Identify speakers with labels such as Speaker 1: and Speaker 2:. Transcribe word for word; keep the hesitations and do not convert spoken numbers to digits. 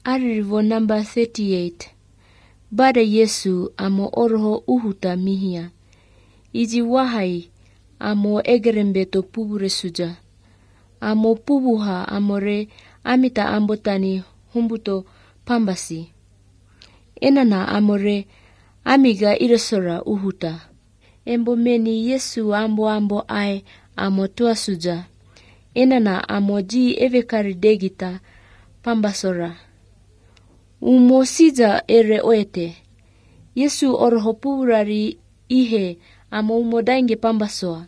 Speaker 1: Aririvo namba thirty-eight. Bada Yesu amo orho uhuta mihia. Iji wahai amo egerembeto pubure suja. Amo pubuha amore amita ambotani humbuto pambasi. Enana amore amiga iresora uhuta. Embo meni Yesu ambo ambo ai amo tua suja. Enana amo ji evekari degita pambasora. Umo sija ere oete. Yesu orho purari ihe amo umo dainge pambasoa.